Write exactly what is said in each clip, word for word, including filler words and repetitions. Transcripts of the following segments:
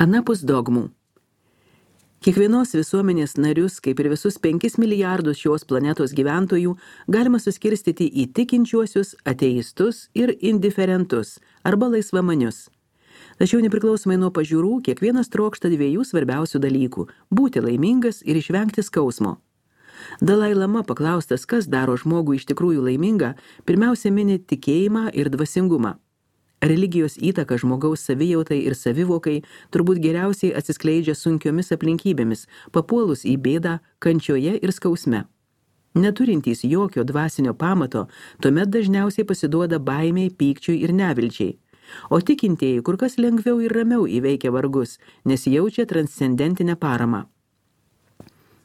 Anapus dogmų. Kiekvienos visuomenės narius, kaip ir visus penkis milijardus šios planetos gyventojų, galima suskirstyti į tikinčiuosius, ateistus ir indiferentus arba laisvamanius. Tačiau nepriklausomai nuo pažiūrų, kiekvienas trokšta dviejų svarbiausių dalykų – būti laimingas ir išvengti skausmo. Dalai Lama paklaustas, kas daro žmogų iš tikrųjų laimingą, pirmiausia mini tikėjimą ir dvasingumą. Religijos įtaka žmogaus savijautai ir savivokai turbūt geriausiai atsiskleidžia sunkiomis aplinkybėmis, papuolus į bėdą, kančioje ir skausme. Neturintys jokio dvasinio pamato, tuomet dažniausiai pasiduoda baimiai, pykčiui ir nevilčiai. O tikintieji kur kas lengviau ir ramiau įveikia vargus, nes jaučia transcendentinę paramą.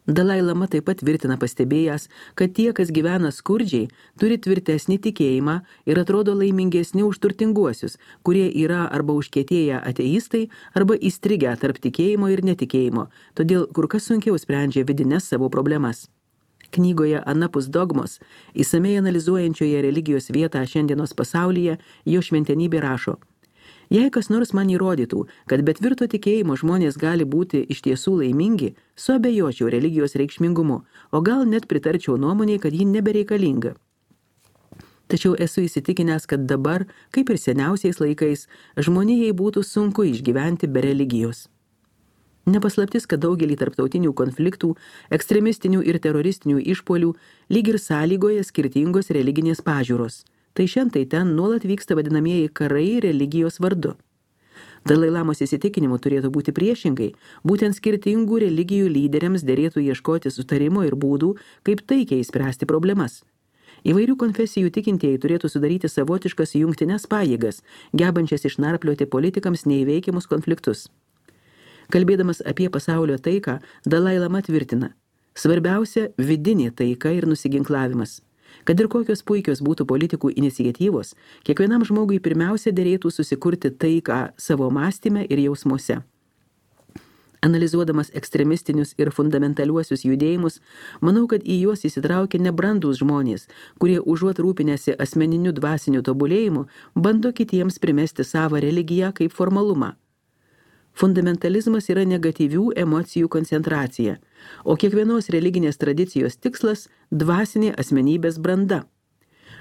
Dalai Lama taip pat tvirtina pastebėjęs, kad tie, kas gyvena skurdžiai, turi tvirtesnį tikėjimą ir atrodo laimingesni už turtinguosius, kurie yra arba užkietėję ateistai, arba įstrigę tarp tikėjimo ir netikėjimo, todėl kur kas sunkiau sprendžia vidines savo problemas. Knygoje Anapus dogmos, įsamei analizuojančioje religijos vietą šiandienos pasaulyje, jo šventenybė rašo: Jei kas nors man įrodytų, kad be tvirto tikėjimo žmonės gali būti iš tiesų laimingi, suabejočiau religijos reikšmingumu, o gal net pritarčiau nuomonei, kad ji nebereikalinga. Tačiau esu įsitikinęs, kad dabar, kaip ir seniausiais laikais, žmonijai būtų sunku išgyventi be religijos. Nepaslaptis, kad daugelį tarptautinių konfliktų, ekstremistinių ir teroristinių išpuolių lyg ir sąlygoja skirtingos religinės pažiūros. Tai šiandien ten nuolat vyksta vadinamieji karai religijos vardu. Dalai Lamos įsitikinimu turėtų būti priešingai, būtent skirtingų religijų lyderiams derėtų ieškoti sutarimo ir būdų, kaip taikiai spręsti problemas. Įvairių konfesijų tikintieji turėtų sudaryti savotiškas jungtines pajėgas, gebančias išnarplioti politikams neįveikiamus konfliktus. Kalbėdamas apie pasaulio taiką, Dalai Lama tvirtina: svarbiausia vidinė taika ir nusiginklavimas. Kad ir kokios puikios būtų politikų iniciatyvos, kiekvienam žmogui pirmiausia derėtų susikurti taiką savo mąstyme ir jausmuose. Analizuodamas ekstremistinius ir fundamentaliuosius judėjimus, manau, kad į juos įsitraukia nebrandūs žmonės, kurie užuot rūpinęsi asmeniniu dvasiniu tobulėjimu, bando kitiems primesti savo religiją kaip formalumą. Fundamentalizmas yra negatyvių emocijų koncentracija, o kiekvienos religinės tradicijos tikslas – dvasinė asmenybės branda.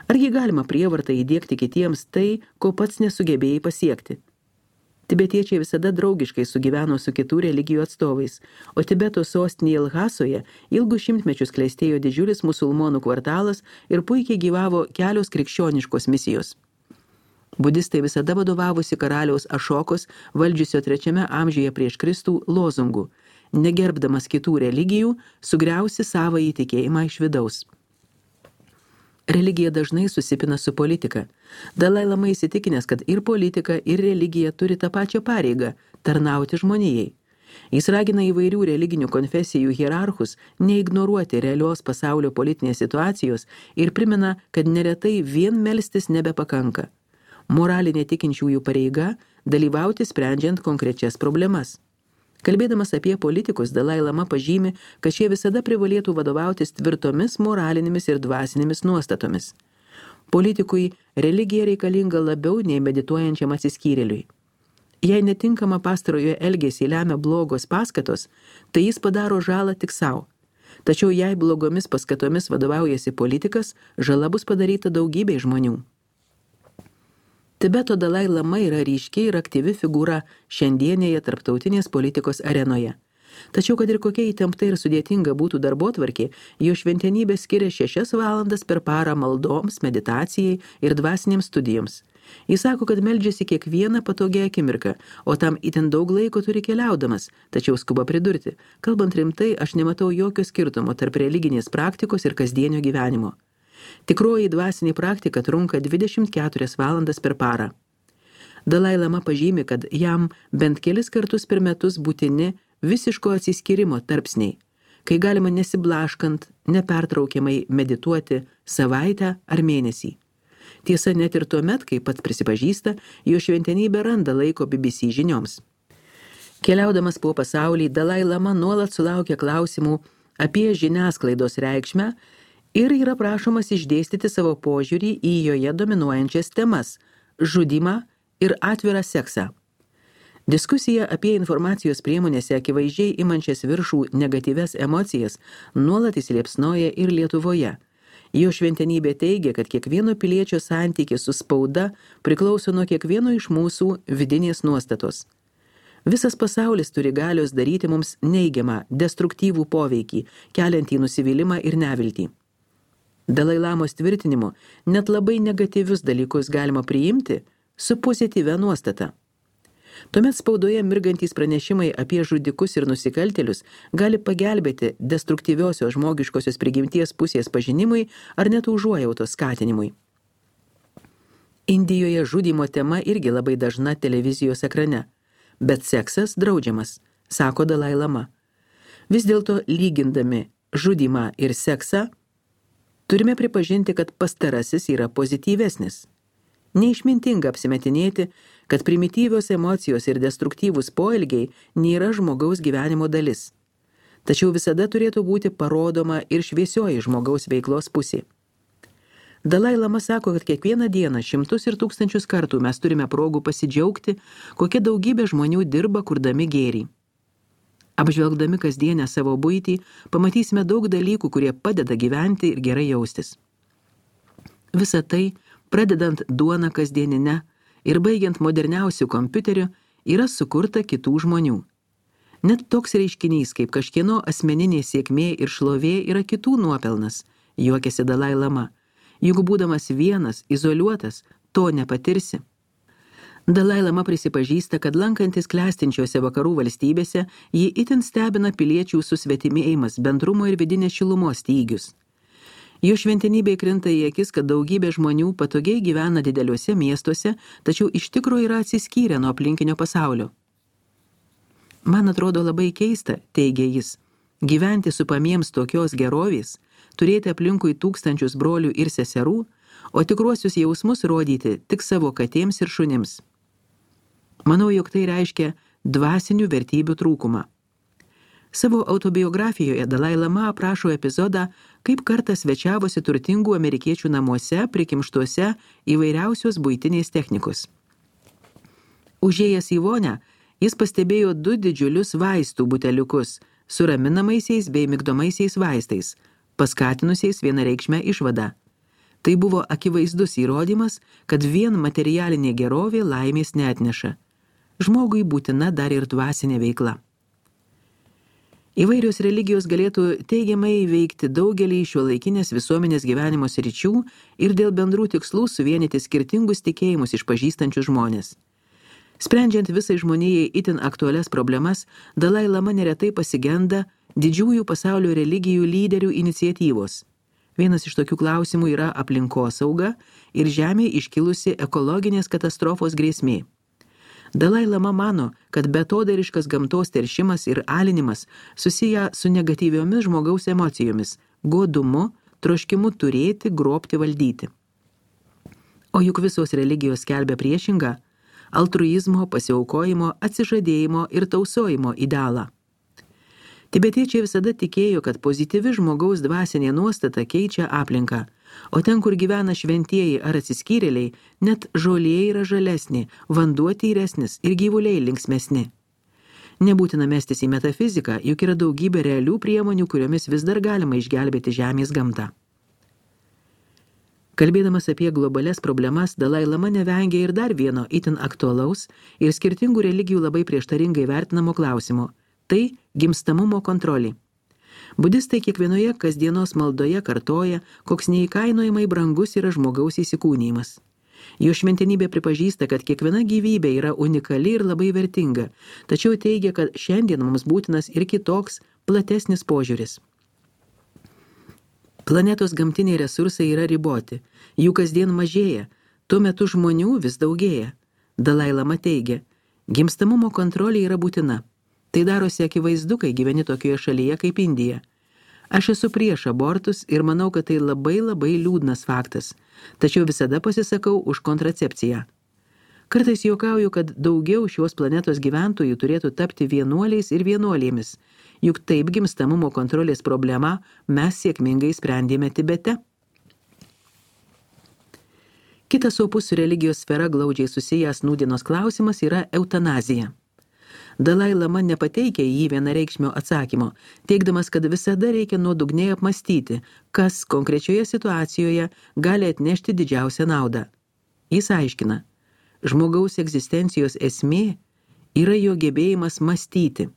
Argi galima prievartą įdiegti kitiems tai, ko pats nesugebėjai pasiekti? Tibetiečiai visada draugiškai sugyveno su kitų religijų atstovais, o Tibeto sostinėje Lhasoje ilgus šimtmečius klestėjo didžiulis musulmonų kvartalas ir puikiai gyvavo kelios krikščioniškos misijos. Budistai visada vadovavosi karaliaus Ašokos, valdžiusio trečiame amžiuje prieš Kristų, lozungu: negerbdamas kitų religijų, sugriausi savo įtikėjimą iš vidaus. Religija dažnai susipina su politika. Dalai Lama įsitikinęs, kad ir politika, ir religija turi tą pačią pareigą – tarnauti žmonijai. Jis ragina įvairių religinių konfesijų hierarchus neignoruoti realios pasaulio politinės situacijos ir primena, kad neretai vien melstis nebepakanka. Moralinė tikinčiųjų pareiga – dalyvauti sprendžiant konkrečias problemas. Kalbėdamas apie politikus, Dalai Lama pažymi, kad šie visada privalėtų vadovautis tvirtomis moralinėmis ir dvasinėmis nuostatomis. Politikui religija reikalinga labiau nei medituojančiam atsiskyrėliui. Jei netinkama pastarojo elgesį lemia blogos paskatos, tai jis padaro žalą tik savo. Tačiau jei blogomis paskatomis vadovaujasi politikas, žala bus padaryta daugybei žmonių. Tibeto Dalai Lama yra ryški ir aktyvi figūra šiandienėje tarptautinės politikos arenoje. Tačiau, kad ir kokia įtempta ir sudėtinga būtų darbotvarkė, jo šventenybė skiria šešias valandas per parą maldoms, meditacijai ir dvasinėms studijoms. Jis sako, kad meldžiasi kiekvieną patogią akimirką, o tam itin daug laiko turi keliaudamas, tačiau skuba pridurti: kalbant rimtai, aš nematau jokio skirtumo tarp religinės praktikos ir kasdienio gyvenimo. Tikroji dvasinė praktika trunka dvidešimt keturias valandas per parą. Dalai Lama pažymi, kad jam bent kelis kartus per metus būtini visiško atsiskyrimo tarpsniai, kai galima nesiblaškant, nepertraukiamai medituoti savaitę ar mėnesį. Tiesa, net ir tuomet, kai pats prisipažįsta, jo šventenybė randa laiko B B C žinioms. Keliaudamas po pasaulį, Dalai Lama nuolat sulaukia klausimų apie žiniasklaidos reikšmę ir yra prašomas išdėstyti savo požiūrį į joje dominuojančias temas – žudymą ir atvirą seksą. Diskusija apie informacijos priemonėse akivaizdžiai imančias viršų negatyves emocijas nuolat įsiliepsnoja ir Lietuvoje. Jo šventenybė teigia, kad kiekvieno piliečio santykis su spauda priklauso nuo kiekvieno iš mūsų vidinės nuostatos. Visas pasaulis turi galios daryti mums neigiamą, destruktyvų poveikį, keliantį nusivylimą ir neviltį. Dalai Lamos tvirtinimu, net labai negatyvius dalykus galima priimti su pozityvia nuostata. Tuomet spaudoje mirgantys pranešimai apie žudikus ir nusikaltėlius gali pagelbėti destruktyviosios žmogiškosios prigimties pusės pažinimui ar net užuojautos skatinimui. Indijoje žudymo tema irgi labai dažna televizijos ekrane, bet seksas draudžiamas, sako Dalai Lama. Vis dėlto lygindami žudymą ir seksą, turime pripažinti, kad pastarasis yra pozityvesnis. Neišmintinga apsimetinėti, kad primityvios emocijos ir destruktyvūs poelgiai nėra žmogaus gyvenimo dalis. Tačiau visada turėtų būti parodoma ir šviesioji žmogaus veiklos pusė. Dalai Lama sako, kad kiekvieną dieną šimtus ir tūkstančius kartų mes turime progų pasidžiaugti, kokia daugybė žmonių dirba kurdami gėrį. Apžvelgdami kasdienę savo buitį, pamatysime daug dalykų, kurie padeda gyventi ir gerai jaustis. Visa tai, pradedant duoną kasdieninę ir baigiant moderniausių kompiuterių, yra sukurta kitų žmonių. Net toks reiškinys, kaip kažkieno asmeninė sėkmė ir šlovė yra kitų nuopelnas, juokiasi Dalai Lama. Juk būdamas vienas, izoliuotas, to nepatirsi. Dalai Lama prisipažįsta, kad lankantis klestinčiose vakarų valstybėse, jį itin stebina piliečių susvetimėjimas, bendrumo ir vidinės šilumos stygius. Jo šventenybė krinta į akis, kad daugybė žmonių patogiai gyvena dideliuose miestuose, tačiau iš tikro yra atsiskyrę nuo aplinkinio pasaulio. Man atrodo labai keista, teigia jis, gyventi supamiems tokios gerovės, turėti aplinkui tūkstančius brolių ir seserų, o tikruosius jausmus rodyti tik savo katėms ir šunims. Manau, jog tai reiškia dvasinių vertybių trūkumą. Savo autobiografijoje Dalai Lama aprašo epizodą, kaip kartą svečiavosi turtingų amerikiečių namuose, prikimštuose įvairiausios buitinės technikos. Užėjęs į vonią, jis pastebėjo du didžiulius vaistų buteliukus su raminamaisiais bei migdomaisiais vaistais, paskatinusiais vienareikšmę išvadą. Tai buvo akivaizdus įrodymas, kad vien materialinė gerovė laimės neatneša. Žmogui būtina dar ir dvasinė veikla. Įvairios religijos galėtų teigiamai veikti daugelį šiuolaikinės visuomenės gyvenimo sričių ir dėl bendrų tikslų suvienyti skirtingus tikėjimus išpažįstančius žmonės. Sprendžiant visai žmonijai itin aktualias problemas, Dalai Lama neretai pasigenda didžiųjų pasaulio religijų lyderių iniciatyvos. Vienas iš tokių klausimų yra aplinkosauga ir žemėje iškilusi ekologinės katastrofos grėsmė. Dalai Lama mano, kad betodariškas gamtos teršimas ir alinimas susiję su negatyviomis žmogaus emocijomis, godumu, troškimu turėti, grobti, valdyti. O juk visos religijos skelbia priešingą – altruizmo, pasiaukojimo, atsižadėjimo ir tausojimo idealą. Tibetiečiai visada tikėjo, kad pozityvi žmogaus dvasinė nuostata keičia aplinką, o ten, kur gyvena šventieji ar atsiskyrėliai, net žolė yra žalesnė, vanduo tyresnis ir gyvuliai linksmesni. Nebūtina mestis į metafiziką, juk yra daugybė realių priemonių, kuriomis vis dar galima išgelbėti žemės gamtą. Kalbėdamas apie globalias problemas, Dalai Lama nevengia ir dar vieno itin aktualaus ir skirtingų religijų labai prieštaringai vertinamo klausimo – tai gimstamumo kontrolė. Budistai kiekvienoje kasdienos maldoje kartoja, koks neįkainojamai brangus yra žmogaus įsikūnijimas. Jo šventenybė pripažįsta, kad kiekviena gyvybė yra unikali ir labai vertinga, tačiau teigia, kad šiandien mums būtinas ir kitoks, platesnis požiūris. Planetos gamtiniai resursai yra riboti, jų kasdien mažėja, tuo metu žmonių vis daugėja. Dalai Lama teigia, gimstamumo kontrolė yra būtina. Tai darosi akivaizdu, kai gyveni tokioje šalyje kaip Indija. Aš esu prieš abortus ir manau, kad tai labai labai liūdnas faktas, tačiau visada pasisakau už kontracepciją. Kartais juokauju, kad daugiau šios planetos gyventojų turėtų tapti vienuoliais ir vienuolėmis, juk taip gimstamumo kontrolės problemą mes sėkmingai sprendėme Tibete. Kitas opus su religijos sfera glaudžiai susijęs nūdienos klausimas yra eutanazija. Dalai Lama nepateikia į jį vienareikšmio atsakymo, teigdamas, kad visada reikia nuodugniai apmastyti, kas konkrečioje situacijoje gali atnešti didžiausią naudą. Jis aiškina, žmogaus egzistencijos esmė yra jo gebėjimas mąstyti,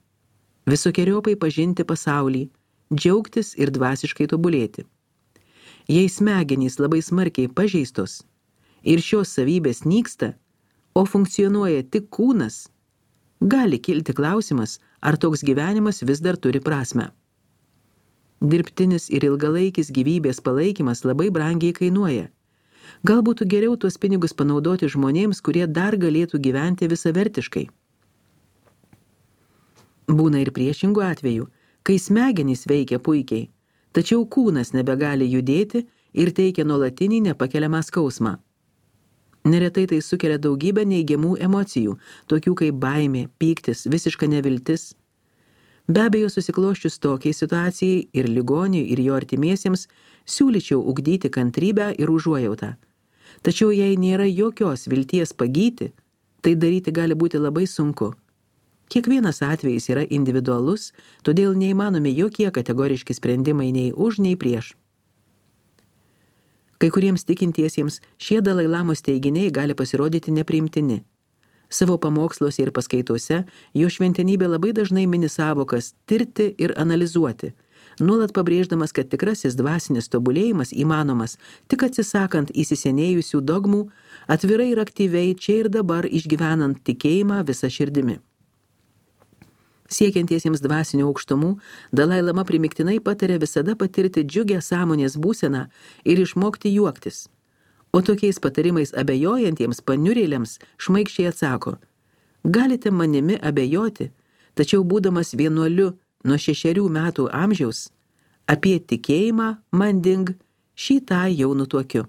visokiojopai pažinti pasaulį, džiaugtis ir dvasiškai tobulėti. Jei smegenys labai smarkiai pažeistos ir šios savybės nyksta, o funkcionuoja tik kūnas, gali kilti klausimas, ar toks gyvenimas vis dar turi prasmę. Dirbtinis ir ilgalaikis gyvybės palaikymas labai brangiai kainuoja. Gal būtų geriau tuos pinigus panaudoti žmonėms, kurie dar galėtų gyventi visavertiškai. Būna ir priešingų atvejų, kai smegenys veikia puikiai, tačiau kūnas nebegali judėti ir teikia nuolatinį nepakeliamą skausmą. Neretai tai sukelia daugybę neigiamų emocijų, tokių kaip baimė, pyktis, visiška neviltis. Be abejo, susiklosčius tokiai situacijai ir ligoniui, ir jo artimiesiems, siūlyčiau ugdyti kantrybę ir užuojautą. Tačiau jei nėra jokios vilties pagyti, tai daryti gali būti labai sunku. Kiekvienas atvejis yra individualus, todėl neįmanomi jokie kategoriški sprendimai nei už, nei prieš. Kai kuriems tikintiesiems šie Dalai Lamos teiginiai gali pasirodyti nepriimtini. Savo pamoksluose ir paskaitose jo šventenybė labai dažnai mini sąvokas tirti ir analizuoti, nuolat pabrėždamas, kad tikrasis dvasinis tobulėjimas įmanomas tik atsisakant įsisenėjusių dogmų, atvirai ir aktyviai čia ir dabar išgyvenant tikėjimą visą širdimi. Siekiantiesiems dvasinių aukštumų, Dalai Lama primiktinai patarė visada patirti džiugę sąmonės būseną ir išmokti juoktis. O tokiais patarimais abejojantiems paniurėliams šmaikščiai atsako, galite manimi abejoti, tačiau būdamas vienuoliu nuo šešerių metų amžiaus, apie tikėjimą manding šį tą jau nutuokiu.